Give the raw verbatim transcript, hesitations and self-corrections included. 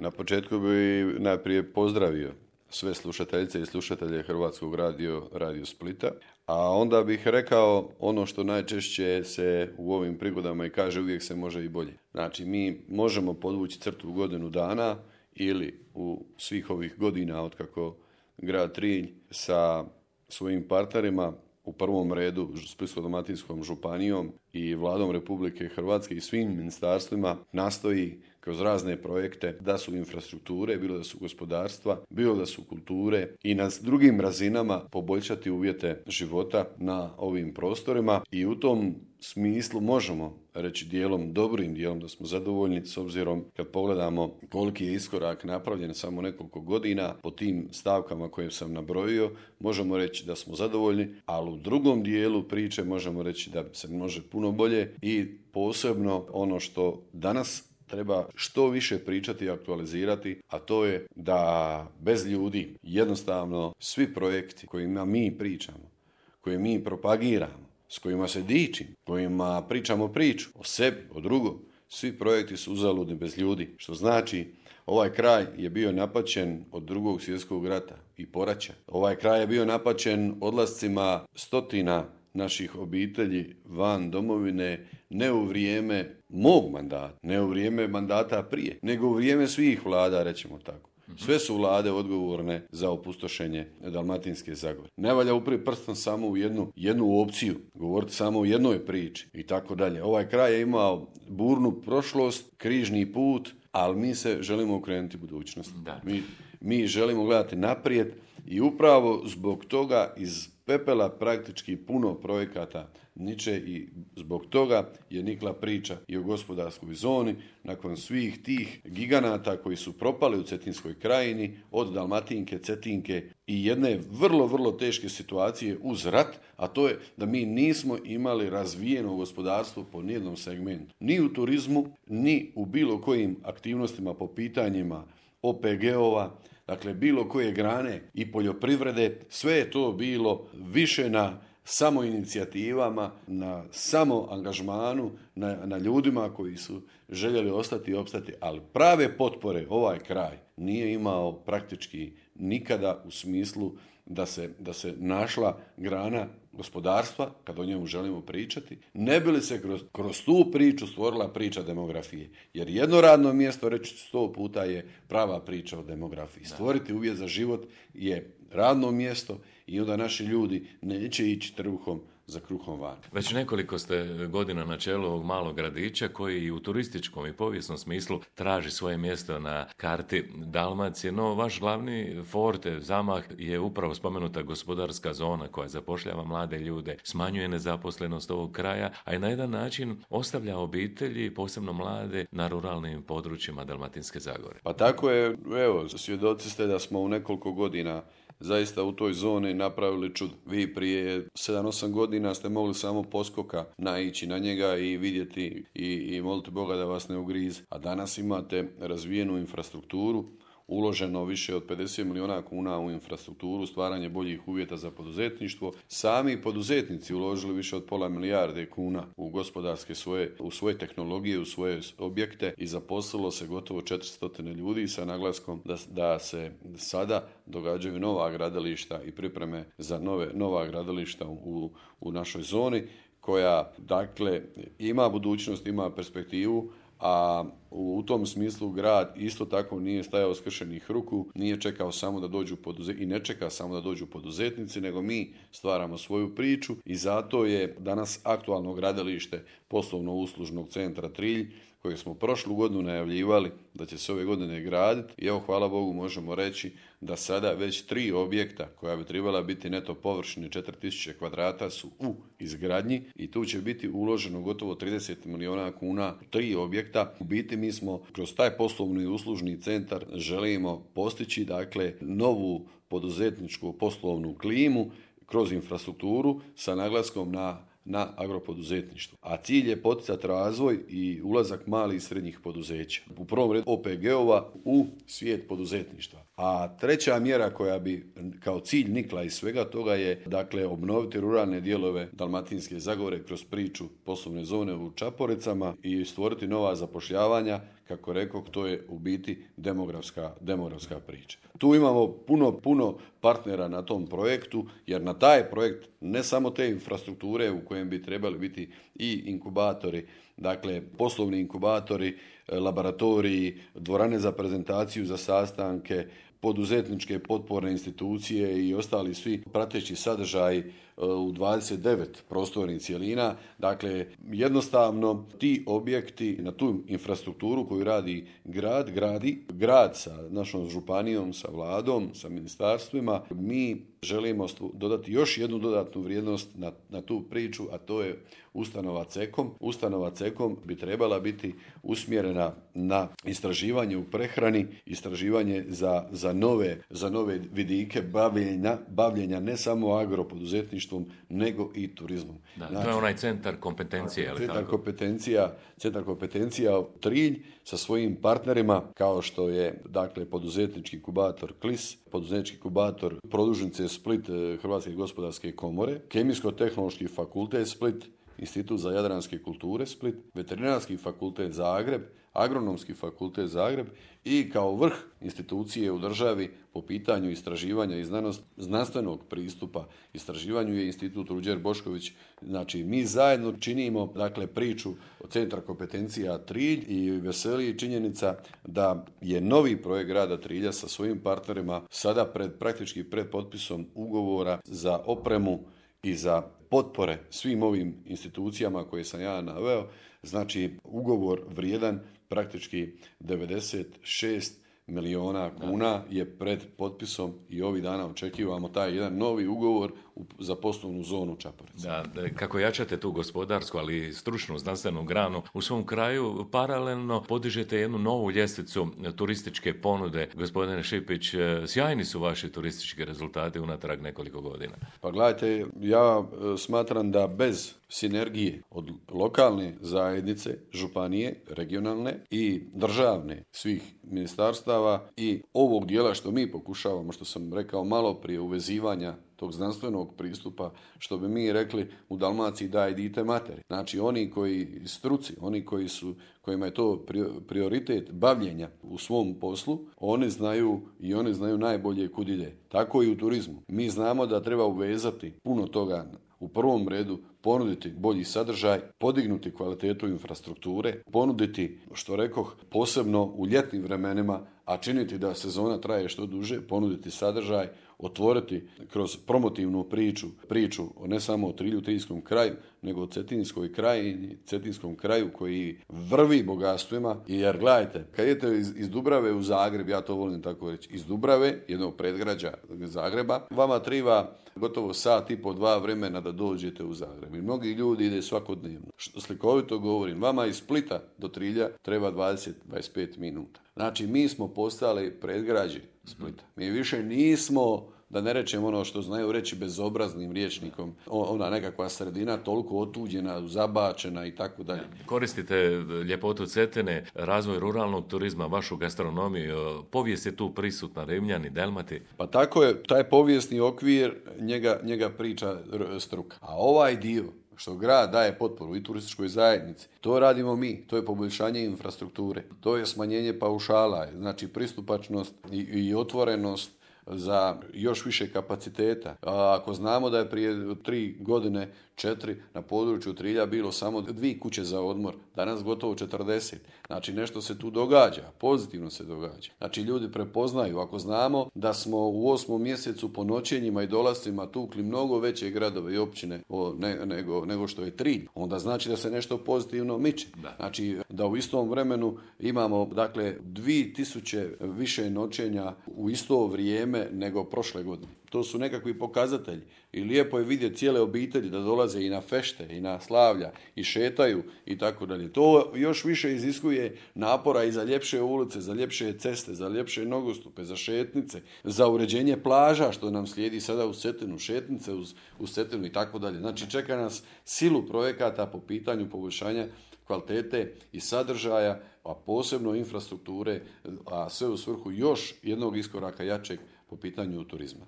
Na početku bi najprije pozdravio sve slušateljice i slušatelje Hrvatskog radio, radio Splita, a onda bih rekao ono što najčešće se u ovim prigodama i kaže, uvijek se može i bolje. Znači, mi možemo podvući crtu u godinu dana ili u svih ovih godina otkako grad Trilj sa svojim partnerima, u prvom redu Splitsko-dalmatinskom županijom i Vladom Republike Hrvatske i svim ministarstvima nastoji kroz razne projekte, da su infrastrukture, bilo da su gospodarstva, bilo da su kulture i na drugim razinama poboljšati uvjete života na ovim prostorima i u tom smislu možemo reći dijelom, dobrim dijelom da smo zadovoljni s obzirom kad pogledamo koliki je iskorak napravljen samo nekoliko godina po tim stavkama koje sam nabrojio, možemo reći da smo zadovoljni, ali u drugom dijelu priče možemo reći da se može puno bolje i posebno ono što danas treba što više pričati i aktualizirati, a to je da bez ljudi jednostavno svi projekti kojima mi pričamo, koje mi propagiramo, s kojima se dičim, kojima pričamo priču o sebi, o drugom, svi projekti su uzaludni bez ljudi, što znači ovaj kraj je bio napaćen od drugog svjetskog rata i poraća. Ovaj kraj je bio napaćen odlascima stotina naših obitelji van domovine, ne u vrijeme mog mandata, ne u vrijeme mandata prije, nego u vrijeme svih vlada, rećemo tako. Sve su vlade odgovorne za opustošenje Dalmatinske Zagore. Ne valja uprijeti prstom samo u jednu, jednu opciju, govoriti samo u jednoj priči i tako dalje. Ovaj kraj je imao burnu prošlost, križni put, ali mi se želimo okrenuti budućnost. Mi, mi želimo gledati naprijed i upravo zbog toga iz pepela praktički puno projekata niče i zbog toga je nikla priča i o gospodarskoj zoni nakon svih tih giganata koji su propali u Cetinskoj krajini od Dalmatinke, Cetinke i jedne vrlo, vrlo teške situacije uz rat, a to je da mi nismo imali razvijeno gospodarstvo po nijednom segmentu. Ni u turizmu, ni u bilo kojim aktivnostima po pitanjima O P G-ova, dakle bilo koje grane i poljoprivrede, sve je to bilo više na samo inicijativama, na samo angažmanu, na, na ljudima koji su željeli ostati i opstati, ali prave potpore ovaj kraj nije imao praktički nikada u smislu da se, da se našla grana gospodarstva, kad o njemu želimo pričati, ne bi li se kroz, kroz tu priču stvorila priča demografije. Jer jedno radno mjesto, reći sto puta, je prava priča o demografiji. Stvoriti uvjet za život je radno mjesto i onda naši ljudi neće ići trbuhom za kruhom van. Već nekoliko ste godina na čelu ovog malog gradića koji i u turističkom i povijesnom smislu traži svoje mjesto na karti Dalmacije, no vaš glavni forte, zamah je upravo spomenuta gospodarska zona koja zapošljava mlade ljude, smanjuje nezaposlenost ovog kraja, a i na jedan način ostavlja obitelji, posebno mlade, na ruralnim područjima Dalmatinske Zagore. Pa tako je, evo, svjedoci ste da smo u nekoliko godina zaista u toj zoni napravili čudo. Vi prije sedam osam godina ste mogli samo poskoka naići na njega i vidjeti i, i moliti Boga da vas ne ugrize. A danas imate razvijenu infrastrukturu, uloženo više od pedeset milijuna kuna u infrastrukturu, stvaranje boljih uvjeta za poduzetništvo. Sami poduzetnici uložili više od pola milijarde kuna u gospodarske svoje, u svoje tehnologije, u svoje objekte i zaposlilo se gotovo četiristo ljudi sa naglaskom da, da se sada događaju nova gradilišta i pripreme za nove, nova gradilišta u, u našoj zoni koja, dakle, ima budućnost, ima perspektivu, a u tom smislu grad isto tako nije stajao skršenih ruku, nije čekao samo da dođu poduzetnici i ne čeka samo da dođu poduzetnici, nego mi stvaramo svoju priču i zato je danas aktualno gradilište poslovno-uslužnog centra Trilj, kojeg smo prošlu godinu najavljivali da će se ove godine graditi i evo, hvala Bogu, možemo reći da sada već tri objekta koja bi trebala biti neto površine četiri tisuće kvadrata su u izgradnji i tu će biti uloženo gotovo trideset milijuna kuna, tri objekta. U biti mi smo kroz taj poslovni i uslužni centar želimo postići, dakle, novu poduzetničku poslovnu klimu kroz infrastrukturu sa naglaskom na na agropoduzetništvo. A cilj je poticati razvoj i ulazak malih i srednjih poduzeća. U prvom redu O P G-ova u svijet poduzetništva. A treća mjera koja bi kao cilj nikla iz svega toga je dakle obnoviti ruralne dijelove Dalmatinske Zagore kroz priču poslovne zone u Čaporicama i stvoriti nova zapošljavanja. Kako rekao, to je u biti demografska, demografska priča. Tu imamo puno, puno partnera na tom projektu, jer na taj projekt ne samo te infrastrukture u kojem bi trebali biti i inkubatori, dakle poslovni inkubatori, laboratoriji, dvorane za prezentaciju, za sastanke, poduzetničke potporne institucije i ostali svi prateći sadržaji u dvadeset devet prostornih cjelina. Dakle, jednostavno ti objekti na tu infrastrukturu koju radi grad, gradi grad sa našom županijom, sa vladom, sa ministarstvima, mi želimo dodati još jednu dodatnu vrijednost na, na tu priču, a to je ustanova cekom. Ustanova cekom bi trebala biti usmjerena na istraživanje u prehrani, istraživanje za, za, nove, za nove vidike bavljenja, bavljenja ne samo agropoduzetništvom, nego i turizmom. Da, znači, to je onaj centar kompetencije. Ali centar, tako? kompetencija, centar kompetencija Trilj sa svojim partnerima kao što je dakle poduzetnički inkubator Klis, poduzetnički inkubator Produžnice Split Hrvatske gospodarske komore, Kemijsko-tehnološki fakultet Split, Institut za jadranske kulture Split, Veterinarski fakultet Zagreb, Agronomski fakultet Zagreb i kao vrh institucije u državi po pitanju istraživanja i znanost, znanstvenog pristupa istraživanju je Institut Ruđer Bošković. Znači, mi zajedno činimo dakle, priču od Centra kompetencija Trilj i veseli činjenica da je novi projekt grada Trilja sa svojim partnerima sada pred, praktički pred potpisom ugovora za opremu i za potpore svim ovim institucijama koje sam ja naveo. Znači, ugovor vrijedan praktički devedeset šest milijuna kuna je pred potpisom i ovih dana očekivamo taj jedan novi ugovor za poslovnu zonu Čaporice. Da, kako jačate tu gospodarsku, ali i stručnu, znanstvenu granu u svom kraju, paralelno podižete jednu novu ljestvicu turističke ponude. Gospodine Šipić, sjajni su vaši turistički rezultati unatrag nekoliko godina. Pa gledajte, ja smatram da bez sinergije od lokalne zajednice, županije, regionalne i državne svih ministarstava i ovog dijela što mi pokušavamo, što sam rekao malo prije, uvezivanja tog znanstvenog pristupa, što bi mi rekli u Dalmaciji daj dite materi. Znači oni koji struci, oni koji su, kojima je to prioritet bavljenja u svom poslu, oni znaju i oni znaju najbolje kud ide. Tako i u turizmu. Mi znamo da treba uvezati puno toga. U prvom redu ponuditi bolji sadržaj, podignuti kvalitetu infrastrukture, ponuditi, što rekoh, posebno u ljetnim vremenima, a činiti da sezona traje što duže, ponuditi sadržaj, otvoriti kroz promotivnu priču, priču ne samo o Trilju, Triljskom kraju, nego o Cetinskoj krajini, Cetinskom kraju koji vrvi bogatstvima. Jer gledajte, kad idete iz, iz Dubrave u Zagreb, ja to volim tako reći, iz Dubrave, jednog predgrađa Zagreba, vama triba gotovo sat i po dva vremena da dođete u Zagreb. I mnogi ljudi ide svakodnevno. Što slikovito govorim, vama iz Splita do Trilja treba dvadeset do dvadeset pet minuta. Znači, mi smo postali predgrađe Splita. Mi više nismo, da ne rečem ono što znaju reći bezobraznim rječnikom, ona nekakva sredina toliko otuđena, zabačena i tako dalje. Koristite ljepotu Cetine, razvoj ruralnog turizma, vašu gastronomiju, povijest je tu prisutna, Rimljani, Delmati. Pa tako je, taj povijesni okvir, njega, njega priča struka. A ovaj dio što grad daje potporu i turističkoj zajednici, to radimo mi, to je poboljšanje infrastrukture, to je smanjenje paušala, znači pristupačnost i, i otvorenost za još više kapaciteta. A ako znamo da je prije tri godine, četiri, na području Trilja bilo samo dvije kuće za odmor, danas gotovo četrdeset. Znači nešto se tu događa, pozitivno se događa. Znači ljudi prepoznaju, ako znamo da smo u osmom mjesecu po noćenjima i dolascima tukli mnogo veće gradove i općine o, ne, nego, nego što je Trilj, onda znači da se nešto pozitivno miče. Da. Znači da u istom vremenu imamo dakle dvije tisuće više noćenja u isto vrijeme nego prošle godine. to su nekakvi pokazatelji. I lijepo je vidjeti cijele obitelji da dolaze i na fešte i na slavlja i šetaju i tako dalje. To još više iziskuje napora i za ljepše ulice, za ljepše ceste, za ljepše nogostupe, za šetnice, za uređenje plaža što nam slijedi sada u Cetinu, šetnice uz, uz Cetinu i tako dalje. Znači čeka nas silu projekata po pitanju poboljšanja kvalitete i sadržaja, a posebno infrastrukture, a sve u svrhu još jednog iskoraka jačeg po pitanju turizma.